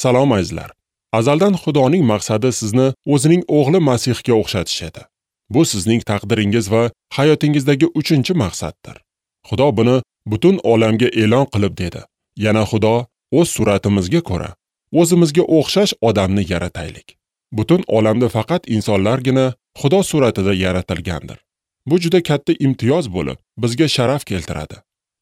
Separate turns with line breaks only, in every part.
Salom azizlar. Azaldan Xudoning maqsadi sizni o'zining o'g'li Masihga o'xshatish edi. Bu sizning taqdiringiz va hayotingizdagi 3-maqsaddir. Xudo buni butun olamga e'lon qilib dedi. Yana Xudo o'z suratimizga ko'ra o'zimizga o'xshash odamni yarataylik. Butun olamda faqat insonlargina Xudo suratida yaratilgandir. Bu juda katta imtiyoz bo'lib, bizga sharaf keltiradi.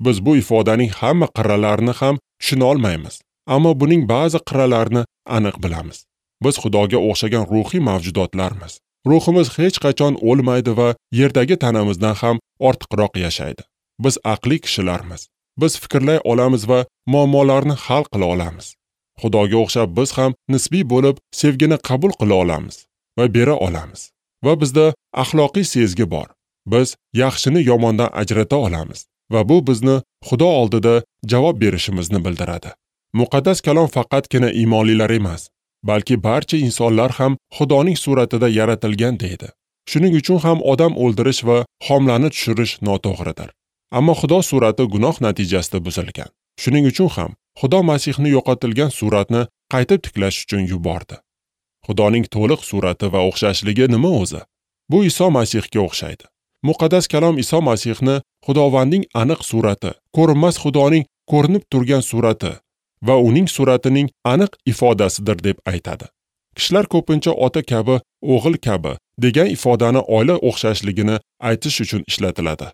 Biz bu ifodaning hamma qirralarini ham tushuna olmaymiz, ammo buning ba'zi qirralarini aniq bilamiz. Biz Xudoga o'xshagan ruhiy mavjudotlarmiz. Ruhimiz hech qachon o'lmaydi va yerdagi tanamizdan ham ortiqroq yashaydi. Biz aqli kishilarmiz. Biz fikrlay olamiz va muammolarni hal qila olamiz. Xudoga o'xshab biz ham nisbiy bo'lib sevgini qabul qila olamiz va bera olamiz. Va bizda axloqiy sezgi bor. Biz yaxshini yomondan ajrata olamiz va bu bizni Xudo oldida javob berishimizni bildiradi. Muqaddas kalom faqatgina iymonlilar emas, balki barcha insonlar ham Xudoning suratida yaratilgan deydi. Shuning uchun ham odam o'ldirish va xomlarni tushirish noto'g'ridir. Ammo Xudo surati gunoh natijasida buzilgan. Shuning uchun ham Xudo Masihni yo'qotilgan suratni qaytib tiklash uchun yubordi. Xudoning to'liq surati va o'xshashligi nima o'zi? Bu Iso Masihga o'xshaydi. Muqaddas kalom Iso Masihni Xudovandning aniq surati, ko'rinmas Xudoning ko'rinib turgan surati va uning suratining aniq ifodasidir deb aytadi. Kishilar ko'pincha ota kabi, o'g'il kabi degan ifodani oila o'xshashligini aytish uchun ishlatiladi.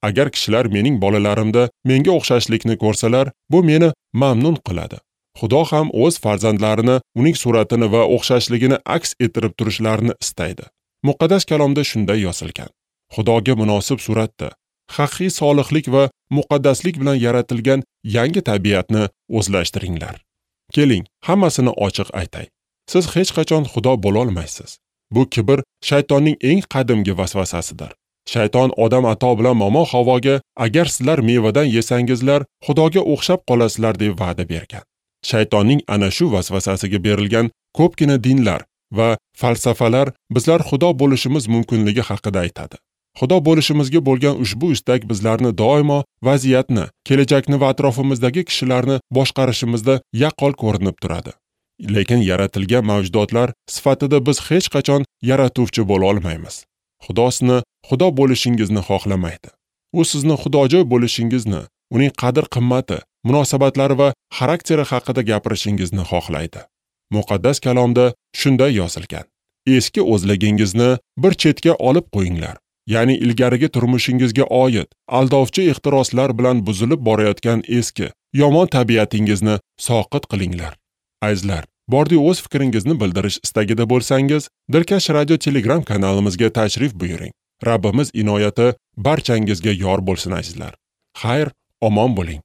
Agar kishilar mening bolalarimda menga o'xshashlikni ko'rsalar, bu meni mamnun qiladi. Xudo ham o'z farzandlarini uning suratini va o'xshashligini aks ettirib turishlarini istaydi. Muqaddas kalomda shunday yozilgan. Xudoga munosib suratda, haqiqiy solihlik va muqaddaslik bilan yaratilgan yangi tabiatni o'zlashtiringlar. Keling, hammasini ochiq aytay. Siz hech qachon Xudo bo'la olmaysiz. Bu kibr shaytonning eng qadimgi vasvasasidir. Shayton Odam ato bilan Momo Havoga agar sizlar mevadan yesangizlar, Xudoga o'xshab qolasizlar deb va'da bergan. Shaytonning ana shu vasvasasiga berilgan ko'pgina dinlar va falsafalar bizlar Xudo bo'lishimiz mumkinligi haqida aytadi. Xudo bo'lishimizga bo'lgan ushbu istak bizlarni doimo vaziyatni, kelajakni va atrofimizdagi kishilarni boshqarishimizda yaqqol ko'rinib turadi. Lekin yaratilgan mavjudotlar sifatida biz hech qachon yaratuvchi bo'la olmaymiz. Xudo sizni Xudo bo'lishingizni xohlamaydi. U sizni xudojo'y bo'lishingizni, uning qadr-qimmati, munosabatlari va xarakteri haqida gapirishingizni xohlaydi. Muqaddas kalomda shunday yozilgan: Eski o'zligingizni bir chetga olib qo'yinglar. Ya'ni ilgarigi turmushingizga oid aldovchi ehtiroslar bilan buzilib borayotgan eski, yomon tabiatingizni soqit qilinglar. Azizlar, bordi o'z fikringizni bildirish istagida bo'lsangiz, Dilkash Radio Telegram kanalimizga tashrif buyuring. Rabbimiz inoyati barchangizga yor bo'lsin azizlar. Xayr, omon bo'ling.